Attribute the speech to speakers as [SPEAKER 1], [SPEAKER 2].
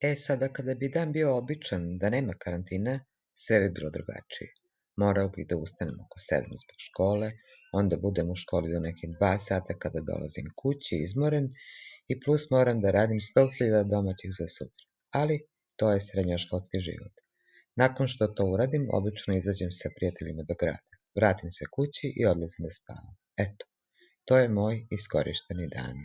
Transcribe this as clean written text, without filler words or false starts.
[SPEAKER 1] Sada kada bi dan bio običan, da nema karantina, sve bi bilo drugačije. Morao bih da ustanem oko 7 zbog škole, onda budem u školi do neke 2 sata kada dolazim kući izmoren i plus moram da radim 100.000 domaćih za sutra. Ali to je srednjoškolski život. Nakon što to uradim, obično izađem sa prijateljima do grada. Vratim se kući i odlazim da spavam. Eto, to je moj iskorišteni dan.